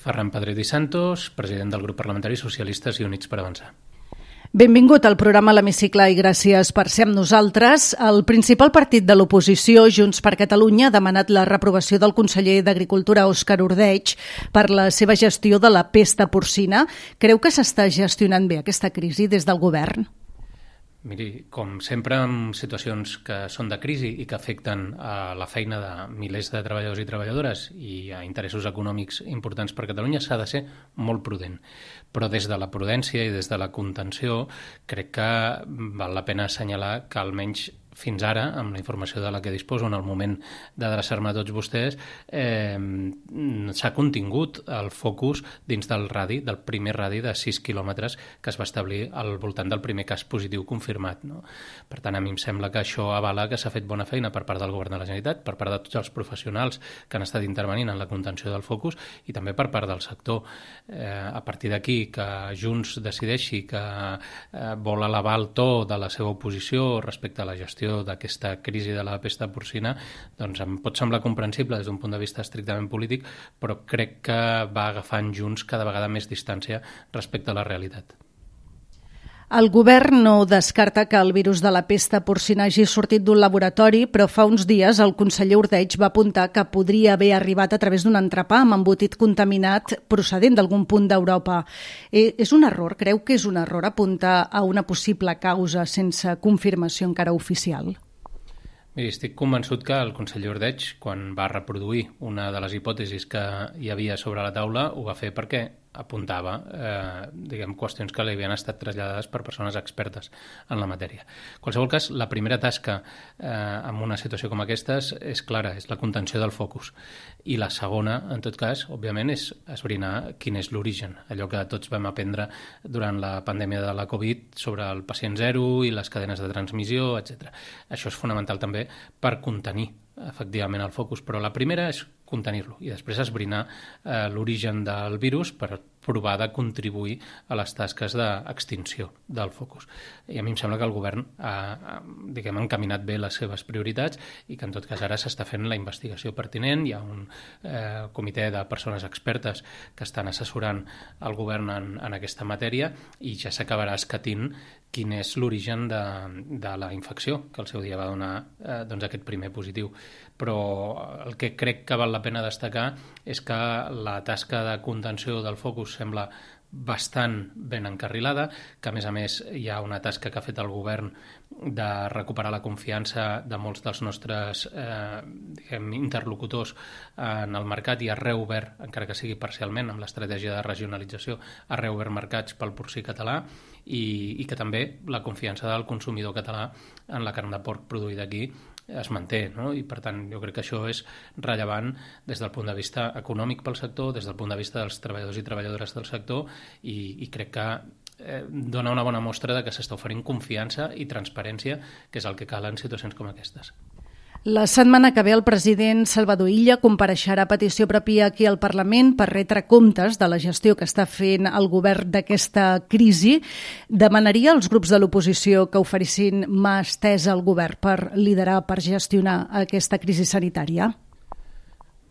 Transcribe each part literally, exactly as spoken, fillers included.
Ferran Pedret i Santos, president del grup parlamentari Socialistes i Units per Avançar. Benvingut al programa L'Hemicicle i gràcies per ser amb nosaltres. El principal partit de l'oposició, Junts per Catalunya, ha demanat la reprovació del conseller d'Agricultura, Òscar Ordeig, per la seva gestió de la pesta porcina. Creu que s'està gestionant bé aquesta crisi des del govern? Miri, com sempre en situacions que són de crisi i que afecten a la feina de milers de treballadors i treballadores i a interessos econòmics importants per Catalunya, s'ha de ser molt prudent. Però des de la prudència i des de la contenció crec que val la pena assenyalar que almenys fins ara, amb la informació de la que disposo en el moment d'adreçar-me a tots vostès, eh, s'ha contingut el focus dins del radi, del primer radi de sis quilòmetres que es va establir al voltant del primer cas positiu confirmat. No? Per tant, a mi em sembla que això avala que s'ha fet bona feina per part del govern de la Generalitat, per part de tots els professionals que han estat intervenint en la contenció del focus i també per part del sector. Eh, a partir d'aquí, que Junts decideixi que eh, vol elevar el to de la seva oposició respecte a la gestió d'aquesta crisi de la pesta porcina, doncs em pot semblar comprensible des d'un punt de vista estrictament polític, però crec que va agafant Junts cada vegada més distància respecte a la realitat. El govern no descarta que el virus de la pesta porcina hagi sortit d'un laboratori, però fa uns dies el conseller Ordeig va apuntar que podria haver arribat a través d'un entrepà amb embotit contaminat procedent d'algun punt d'Europa. Eh, és un error? Creu que és un error apuntar a una possible causa sense confirmació encara oficial? Miri, estic convençut que el conseller Ordeig, quan va reproduir una de les hipòtesis que hi havia sobre la taula, ho va fer perquè apuntava eh, diguem, qüestions que li havien estat traslladades per persones expertes en la matèria. En qualsevol cas, la primera tasca eh, en una situació com aquesta és clara, és la contenció del focus. I la segona, en tot cas, òbviament, és esbrinar quin és l'origen, allò que tots vam aprendre durant la pandèmia de la Covid sobre el pacient zero i les cadenes de transmissió, etcètera. Això és fonamental també per contenir efectivament el focus, però la primera és contenir-lo i després esbrinar eh, l'origen del virus per provar de contribuir a les tasques d'extinció del focus. I a mi em sembla que el govern ha, diguem, encaminat bé les seves prioritats i que en tot cas ara s'està fent la investigació pertinent. Hi ha un eh, comitè de persones expertes que estan assessorant el govern en, en aquesta matèria i ja s'acabarà escatint quin és l'origen de, de la infecció que al seu dia va donar eh, doncs aquest primer positiu. Però el que crec que val la pena destacar és que la tasca de contenció del focus sembla bastant ben encarrilada, que a més a més hi ha una tasca que ha fet el govern de recuperar la confiança de molts dels nostres eh, diguem, interlocutors en el mercat i ha reobert, encara que sigui parcialment amb l'estratègia de regionalització, ha reobert mercats pel porcí català i, i que també la confiança del consumidor català en la carn de porc produïda aquí es manté, no? I per tant jo crec que això és rellevant des del punt de vista econòmic pel sector, des del punt de vista dels treballadors i treballadores del sector i, i crec que eh, dona una bona mostra de que s'està oferint confiança i transparència, que és el que cal en situacions com aquestes. La setmana que ve el president Salvador Illa compareixerà a petició pròpia aquí al Parlament per retre comptes de la gestió que està fent el govern d'aquesta crisi. Demanaria als grups de l'oposició que oferissin mà estesa al govern per liderar, per gestionar aquesta crisi sanitària?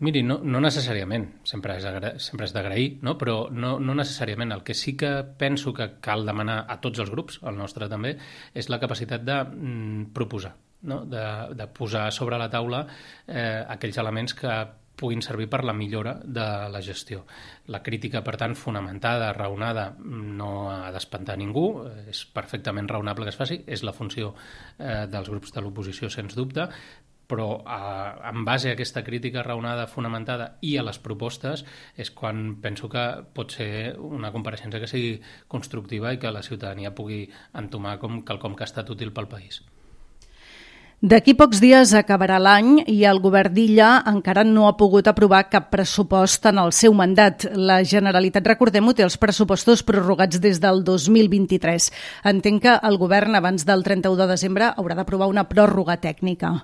Miri, no, no necessàriament, sempre és, agra- sempre és d'agrair, no? Però no, no necessàriament. El que sí que penso que cal demanar a tots els grups, el nostre també, és la capacitat de mm, proposar, no? de, de posar sobre la taula eh, aquells elements que puguin servir per la millora de la gestió. La crítica, per tant, fonamentada, raonada, no ha d'espantar ningú, és perfectament raonable que es faci, és la funció eh, dels grups de l'oposició, sens dubte, però eh, en base a aquesta crítica raonada, fonamentada i a les propostes és quan penso que pot ser una compareixença que sigui constructiva i que la ciutadania pugui entomar com quelcom que ha estat útil pel país. D'aquí pocs dies acabarà l'any i el govern d'Illa encara no ha pogut aprovar cap pressupost en el seu mandat. La Generalitat, recordem-ho, té els pressupostos prorrogats des del dos mil vint-i-tres. Entenc que el govern abans del trenta-u de desembre haurà d'aprovar una pròrroga tècnica.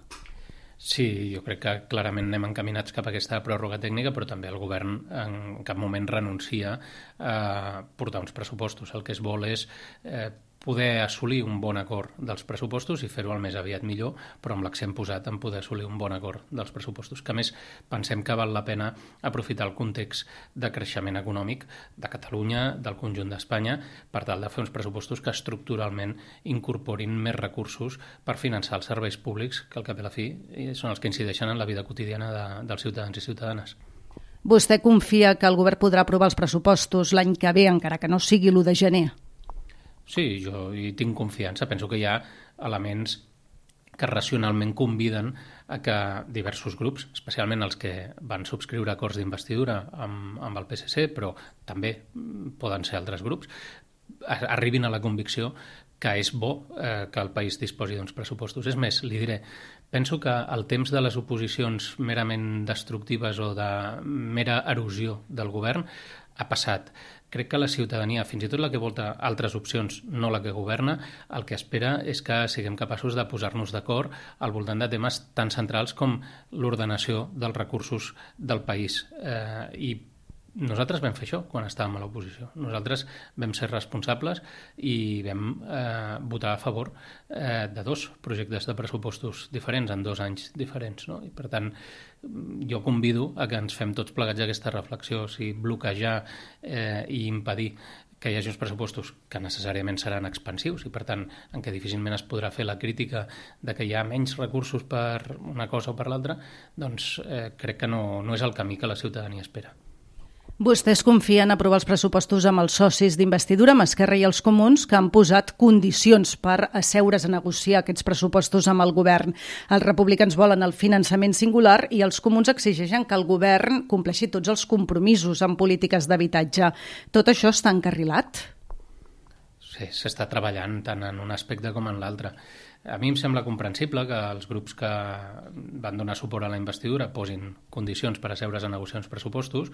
Sí, jo crec que clarament anem encaminats cap a aquesta pròrroga tècnica, però també el govern en cap moment renuncia a portar uns pressupostos. El que es vol és eh, poder assolir un bon acord dels pressupostos i fer-ho el més aviat millor, però amb l'accent posat en poder assolir un bon acord dels pressupostos, que a més pensem que val la pena aprofitar el context de creixement econòmic de Catalunya, del conjunt d'Espanya, per tal de fer uns pressupostos que estructuralment incorporin més recursos per finançar els serveis públics, que al cap i a la fi són els que incideixen en la vida quotidiana de, dels ciutadans i ciutadanes. Vostè confia que el govern podrà aprovar els pressupostos l'any que ve, encara que no sigui l'u de gener? Sí, jo hi tinc confiança. Penso que hi ha elements que racionalment conviden a que diversos grups, especialment els que van subscriure acords d'investidura amb, amb el P S C, però també poden ser altres grups, arribin a la convicció que és bo eh, que el país disposi d'uns pressupostos. És més, li diré, penso que el temps de les oposicions merament destructives o de mera erosió del govern ha passat. Crec que la ciutadania, fins i tot la que volta altres opcions, no la que governa, el que espera és que siguem capaços de posar-nos d'acord al voltant de temes tan centrals com l'ordenació dels recursos del país. Eh, I nosaltres vam fer això quan estàvem a l'oposició. Nosaltres vam ser responsables i vam eh, votar a favor eh, de dos projectes de pressupostos diferents en dos anys diferents, no? I per tant, jo convido a que ens fem tots plegats aquesta reflexió, o sigui, bloquejar eh, i impedir que hi hagi uns pressupostos que necessàriament seran expansius i, per tant, en què difícilment es podrà fer la crítica de que hi ha menys recursos per una cosa o per l'altra, doncs eh, crec que no, no és el camí que la ciutadania espera. Vostès confien en aprovar els pressupostos amb els socis d'investidura, amb Esquerra i els Comuns, que han posat condicions per asseure's a negociar aquests pressupostos amb el govern. Els republicans volen el finançament singular i els Comuns exigeixen que el govern compleixi tots els compromisos en polítiques d'habitatge. Tot això està encarrilat? Sí, s'està treballant tant en un aspecte com en l'altre. A mi em sembla comprensible que els grups que van donar suport a la investidura posin condicions per asseure's a negociar uns pressupostos.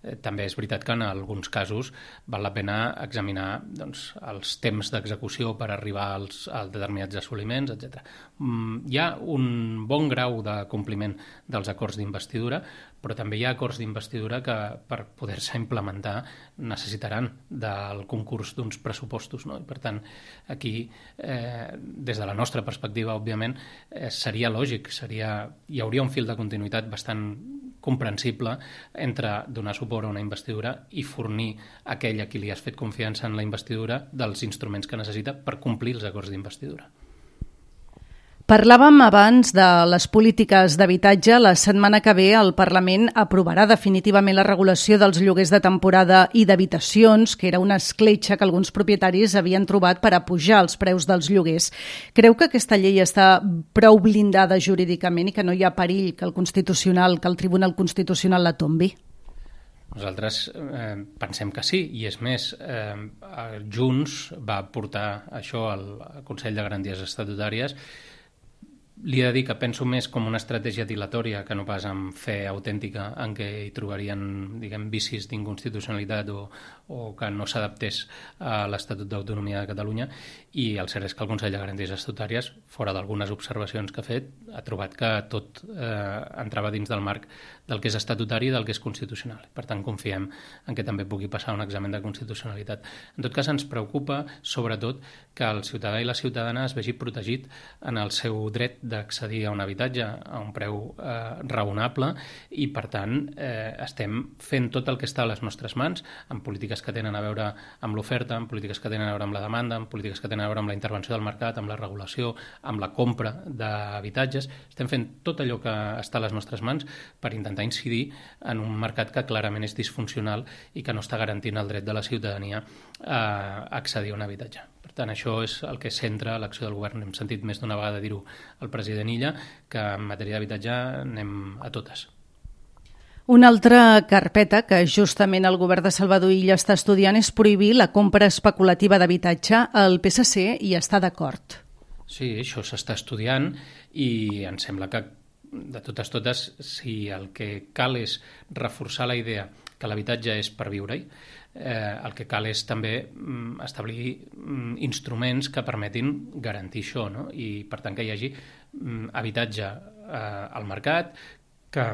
Eh, també és veritat que en alguns casos val la pena examinar doncs, els temps d'execució per arribar als, als determinats assoliments, etcètera. Mm, hi ha un bon grau de compliment dels acords d'investidura, però també hi ha acords d'investidura que per poder-se implementar necessitaran del concurs d'uns pressupostos, no? I per tant, aquí, eh, des de la nostra perspectiva, òbviament, eh, seria lògic, seria, hi hauria un fil de continuïtat bastant comprensible entre donar suport a una investidura i fornir a aquell a qui li has fet confiança en la investidura dels instruments que necessita per complir els acords d'investidura. Parlàvem abans de les polítiques d'habitatge. La setmana que ve el Parlament aprovarà definitivament la regulació dels lloguers de temporada i d'habitacions, que era una escletxa que alguns propietaris havien trobat per apujar els preus dels lloguers. Creu que aquesta llei està prou blindada jurídicament i que no hi ha perill que el Constitucional, que el Tribunal Constitucional la tombi? Nosaltres eh, pensem que sí, i és més, eh, Junts va portar això al Consell de Garanties Estatutàries. Li he de dir que penso més com una estratègia dilatòria que no pas amb fe autèntica en què hi trobarien, diguem, vicis d'inconstitucionalitat o, o que no s'adaptés a l'Estatut d'Autonomia de Catalunya, i el cert és que el Consell de Garanties Estatutàries, fora d'algunes observacions que ha fet, ha trobat que tot eh, entrava dins del marc del que és estatutari i del que és constitucional. Per tant, confiem en que també pugui passar un examen de constitucionalitat. En tot cas, ens preocupa, sobretot, que el ciutadà i la ciutadana es vegi protegit en el seu dret d'accedir a un habitatge a un preu eh, raonable i, per tant, eh, estem fent tot el que està a les nostres mans en polítiques que tenen a veure amb l'oferta, en polítiques que tenen a veure amb la demanda, en polítiques que tenen a veure amb la intervenció del mercat, amb la regulació, amb la compra d'habitatges. Estem fent tot allò que està a les nostres mans per intentar incidir en un mercat que clarament és disfuncional i que no està garantint el dret de la ciutadania a accedir a un habitatge. Per tant, això és el que centra l'acció del govern. Hem sentit més d'una vegada dir-ho al president Illa, que en matèria d'habitatge anem a totes. Una altra carpeta que justament el govern de Salvador Illa està estudiant és prohibir la compra especulativa d'habitatge. El P S C hi està d'acord. Sí, això s'està estudiant i em sembla que, de totes totes, si el que cal és reforçar la idea que l'habitatge és per viure-hi, eh, el que cal és també mm, establir mm, instruments que permetin garantir això, no? I per tant que hi hagi mm, habitatge eh, al mercat, que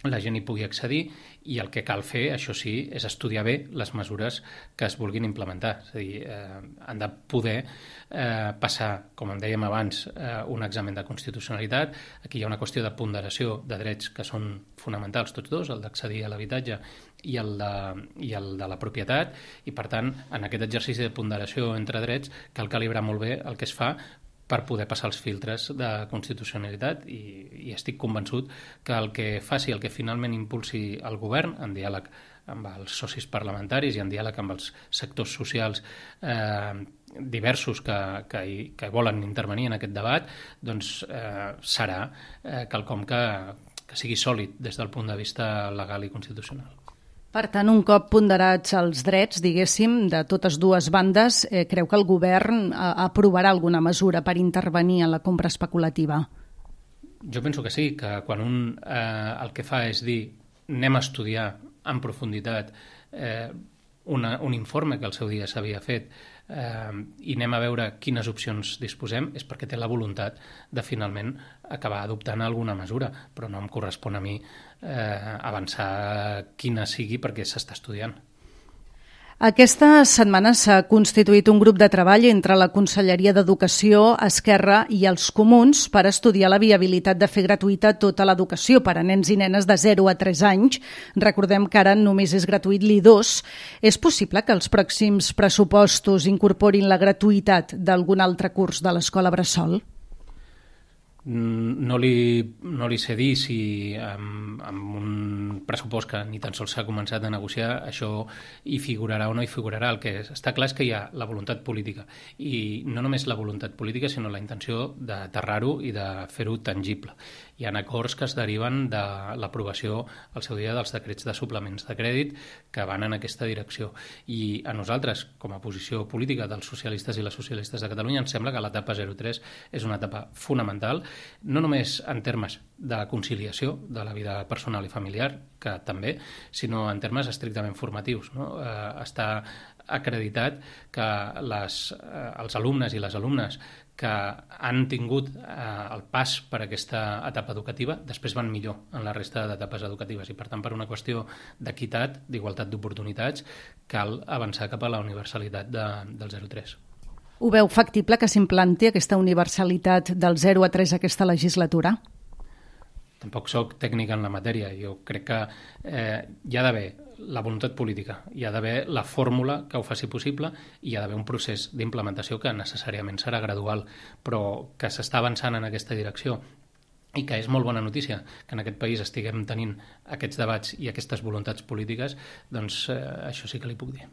la gent hi pugui accedir, i el que cal fer, això sí, és estudiar bé les mesures que es vulguin implementar. És a dir, eh, han de poder eh, passar, com em dèiem abans, eh, un examen de constitucionalitat. Aquí hi ha una qüestió de ponderació de drets que són fonamentals tots dos, el d'accedir a l'habitatge i el, de, i el de la propietat, i per tant, en aquest exercici de ponderació entre drets cal calibrar molt bé el que es fa per poder passar els filtres de constitucionalitat, i, i estic convençut que el que faci, el que finalment impulsi el govern, en diàleg amb els socis parlamentaris i en diàleg amb els sectors socials eh, diversos que, que, hi, que volen intervenir en aquest debat, doncs eh, serà eh, quelcom que, que sigui sòlid des del punt de vista legal i constitucional. Per tant, un cop ponderats els drets, diguéssim, de totes dues bandes, eh, creu que el govern eh, aprovarà alguna mesura per intervenir en la compra especulativa? Jo penso que sí, que quan un eh, el que fa és dir anem a estudiar en profunditat eh, una, un informe que al seu dia s'havia fet eh, i anem a veure quines opcions disposem, és perquè té la voluntat de finalment acabar adoptant alguna mesura, però no em correspon a mi eh, avançar quina sigui perquè s'està estudiant. Aquesta setmana s'ha constituït un grup de treball entre la Conselleria d'Educació, Esquerra i els Comuns per estudiar la viabilitat de fer gratuïta tota l'educació per a nens i nenes de zero a tres anys. Recordem que ara només és gratuït l'I dos. És possible que els pròxims pressupostos incorporin la gratuïtat d'algun altre curs de l'escola bressol? No li, no li sé dir si amb, amb un pressupost que ni tan sols s'ha començat a negociar això hi figurarà o no hi figurarà. El que està clar és que hi ha la voluntat política, i no només la voluntat política sinó la intenció d'aterrar-ho i de fer-ho tangible. Hi ha acords que es deriven de l'aprovació al seu dia dels decrets de suplements de crèdit que van en aquesta direcció, i a nosaltres, com a posició política dels socialistes i les socialistes de Catalunya, ens sembla que l'etapa zero tres és una etapa fonamental, no només en termes de conciliació de la vida personal i familiar, que també, sinó en termes estrictament formatius, no? Eh, està acreditat que les, eh, els alumnes i les alumnes que han tingut eh, el pas per aquesta etapa educativa després van millor en la resta d'etapes educatives, i per tant, per una qüestió d'equitat, d'igualtat d'oportunitats, cal avançar cap a la universalitat de, del zero tres. Ho veu factible que s'implanti aquesta universalitat del zero a tres aquesta legislatura? Tampoc soc tècnic en la matèria. Jo crec que eh, hi ha d'haver la voluntat política, hi ha d'haver la fórmula que ho faci possible, i hi ha d'haver un procés d'implementació que necessàriament serà gradual, però que s'està avançant en aquesta direcció, i que és molt bona notícia que en aquest país estiguem tenint aquests debats i aquestes voluntats polítiques, doncs eh, això sí que li puc dir.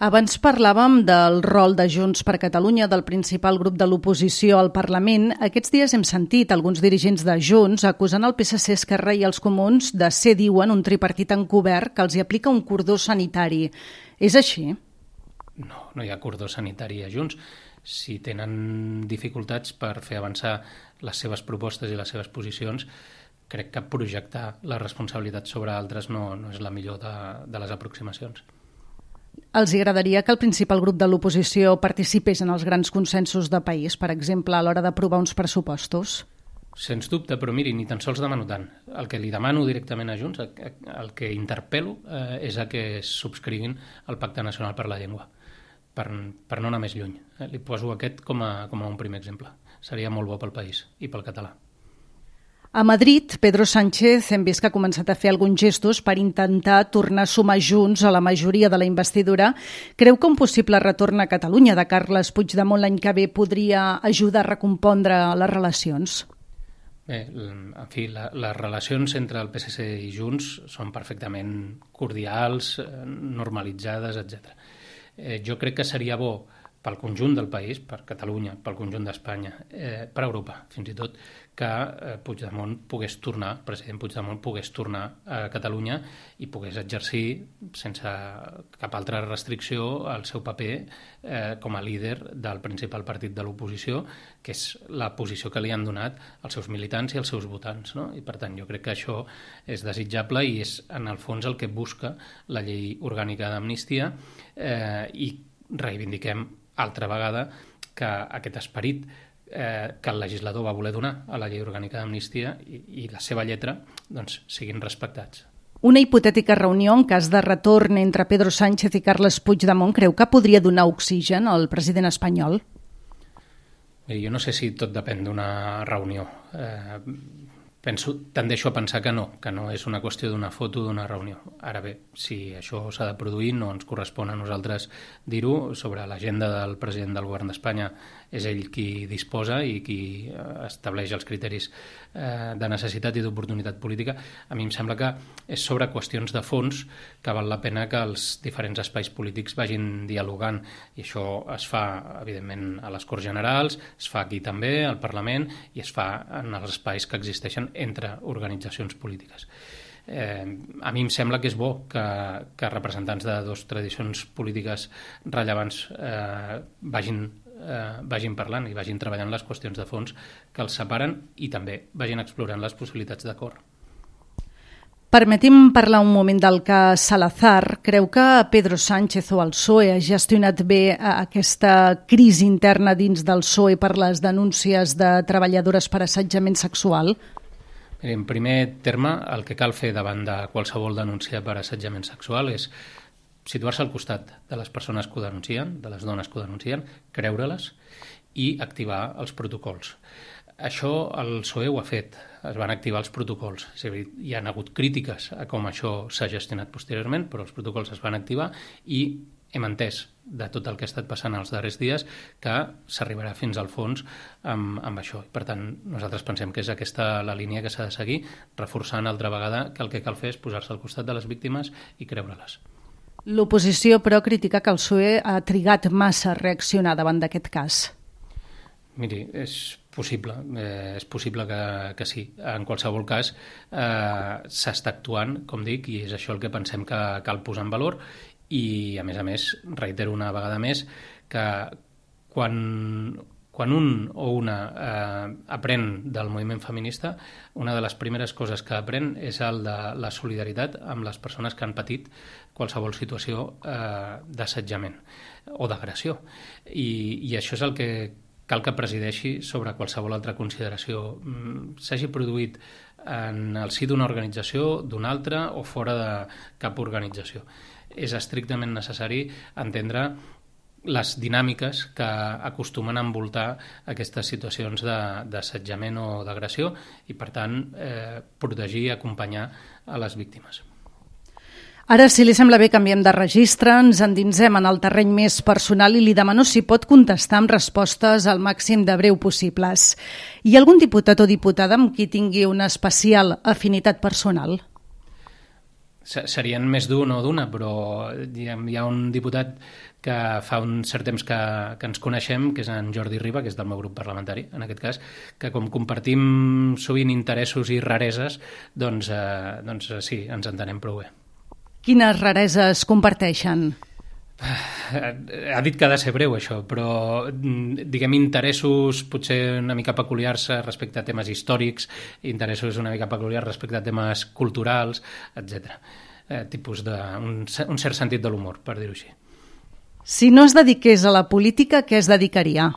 Abans parlàvem del rol de Junts per Catalunya, del principal grup de l'oposició al Parlament. Aquests dies hem sentit alguns dirigents de Junts acusant el P S C, Esquerra i els Comuns de ser, diuen, un tripartit encobert que els hi aplica un cordó sanitari. És així? No, no hi ha cordó sanitari a Junts. Si tenen dificultats per fer avançar les seves propostes i les seves posicions, crec que projectar la responsabilitat sobre altres no, no és la millor de, de les aproximacions. Els agradaria que el principal grup de l'oposició participés en els grans consensos de país, per exemple, a l'hora d'aprovar uns pressupostos? Sens dubte, però miri, ni tan sols demano tant. El que li demano directament a Junts, el que interpel·lo, eh, és a que subscriguin el Pacte Nacional per la Llengua, per, per no anar més lluny. Eh, li poso aquest com a, com a un primer exemple. Seria molt bo pel país i pel català. A Madrid, Pedro Sánchez hem vist que ha començat a fer alguns gestos per intentar tornar a sumar Junts a la majoria de la investidura. Creu que un possible retorn a Catalunya de Carles Puigdemont l'any que ve podria ajudar a recompondre les relacions? Bé, en fi, la, les relacions entre el P S C i Junts són perfectament cordials, normalitzades, etcètera. Eh, jo crec que seria bo pel conjunt del país, per Catalunya, pel conjunt d'Espanya, eh, per Europa, fins i tot, que eh, Puigdemont pogués tornar, el president Puigdemont pogués tornar a Catalunya i pogués exercir sense cap altra restricció el seu paper eh, com a líder del principal partit de l'oposició, que és la posició que li han donat els seus militants i els seus votants, no? I per tant jo crec que això és desitjable i és en el fons el que busca la llei orgànica d'amnistia, eh, i reivindiquem altra vegada que aquest esperit eh, que el legislador va voler donar a la llei orgànica d'amnistia i, i la seva lletra doncs, siguin respectats. Una hipotètica reunió en cas de retorn entre Pedro Sánchez i Carles Puigdemont creu que podria donar oxigen al president espanyol? Miri, jo no sé si tot depèn d'una reunió. Eh, penso, tendeixo a pensar que no, que no és una qüestió d'una foto d'una reunió. Ara bé, si això s'ha de produir, no ens correspon a nosaltres dir-ho. Sobre l'agenda del president del govern d'Espanya és ell qui disposa i qui estableix els criteris eh, de necessitat i d'oportunitat política. A mi em sembla que és sobre qüestions de fons que val la pena que els diferents espais polítics vagin dialogant, i això es fa, evidentment, a les Corts Generals, es fa aquí també, al Parlament, i es fa en els espais que existeixen entre organitzacions polítiques. Eh, a mi em sembla que és bo que, que representants de dues tradicions polítiques rellevants eh, vagin, eh, vagin parlant i vagin treballant les qüestions de fons que els separen i també vagin explorant les possibilitats d'acord. Permeti'm parlar un moment del cas Salazar. Creu que Pedro Sánchez o el P S O E ha gestionat bé aquesta crisi interna dins del P S O E per les denúncies de treballadores per assetjament sexual? En primer terme, el que cal fer davant de qualsevol denúncia per assetjament sexual és situar-se al costat de les persones que ho denuncien, de les dones que ho denuncien, creure-les i activar els protocols. Això el P S O E ho ha fet, es van activar els protocols. És a dir, hi ha hagut crítiques a com això s'ha gestionat posteriorment, però els protocols es van activar i hem entès de tot el que ha estat passant els darrers dies que s'arribarà fins al fons amb, amb això. Per tant, nosaltres pensem que és aquesta la línia que s'ha de seguir, reforçant altra vegada que el que cal fer és posar-se al costat de les víctimes i creure-les. L'oposició, però, critica que el P S O E ha trigat massa a reaccionar davant d'aquest cas. Miri, és possible, eh, és possible que, que sí. En qualsevol cas, eh, s'està actuant, com dic, i és això el que pensem que cal posar en valor. I, a més a més, reitero una vegada més que quan, quan un o una eh, aprèn del moviment feminista, una de les primeres coses que aprèn és el de la solidaritat amb les persones que han patit qualsevol situació eh, d'assetjament o d'agressió. I, I això és el que cal que presideixi sobre qualsevol altra consideració. S'hagi produït en el si d'una organització, d'una altra o fora de cap organització. És estrictament necessari entendre les dinàmiques que acostumen a envoltar aquestes situacions d'assetjament o d'agressió i, per tant, eh, protegir i acompanyar a les víctimes. Ara, si li sembla bé, canviem de registre, ens endinsem en el terreny més personal i li demano si pot contestar amb respostes al màxim de breu possibles. Hi ha algun diputat o diputada amb qui tingui una especial afinitat personal? Serien més d'un o d'una, però diguem, hi ha un diputat que fa un cert temps que, que ens coneixem, que és en Jordi Riba, que és del meu grup parlamentari, en aquest cas, que com compartim sovint interessos i rareses, doncs, eh, doncs sí, ens entenem prou bé. Quines rareses comparteixen? Ha dit que ha de ser breu, això, però diguem interessos potser una mica peculiars respecte a temes històrics, interessos una mica peculiars respecte a temes culturals, etcètera. Eh, tipus de, un, un cert sentit de l'humor, per dir-ho així. Si no es dediqués a la política, què es dedicaria?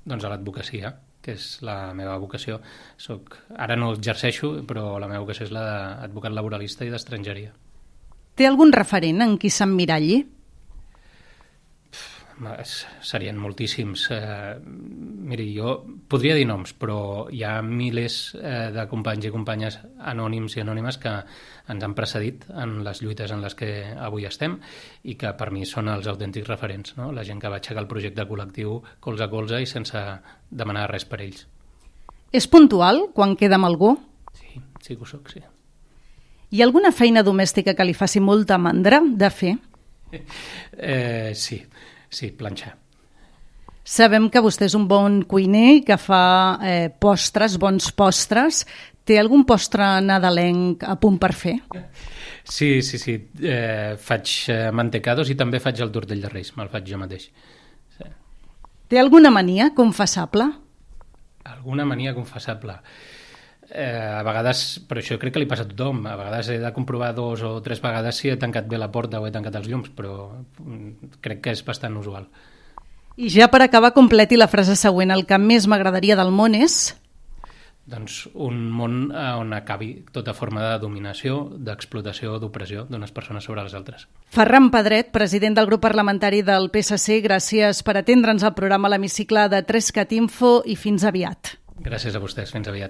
Doncs a l'advocacia, que és la meva vocació. Soc, ara no exerceixo, però la meva vocació és la d'advocat laboralista i d'estrangeria. Té algun referent en qui s'emmiralli? Serien moltíssims. Eh, miri, jo podria dir noms, però hi ha milers eh, de companys i companyes anònims i anònimes que ens han precedit en les lluites en les que avui estem i que per mi són els autèntics referents, no? La gent que va aixecar el projecte col·lectiu colze a colze i sense demanar res per ells. És puntual quan queda amb algú? Sí, sí que ho soc, sí. Hi ha alguna feina domèstica que li faci molta mandra de fer? Eh, sí. Sí, planxar. Sabem que vostè és un bon cuiner i que fa eh, postres, bons postres. Té algun postre nadalenc a punt per fer? Sí, sí, sí. Eh, faig mantecados i també faig el tortell de Reis. Me'l faig jo mateix. Sí. Té alguna mania confessable? Alguna mania confessable? Eh, a vegades, però això crec que li passa a tothom, a vegades he de comprovar dos o tres vegades si he tancat bé la porta o he tancat els llums, però crec que és bastant usual. I ja per acabar, completi la frase següent. El que més m'agradaria del món és... Doncs un món on acabi tota forma de dominació, d'explotació, d'opressió d'unes persones sobre les altres. Ferran Pedret, president del grup parlamentari del P S C, gràcies per atendre'ns al programa a l'Hemicicle de tres cat info i fins aviat. Gràcies a vostès, fins aviat.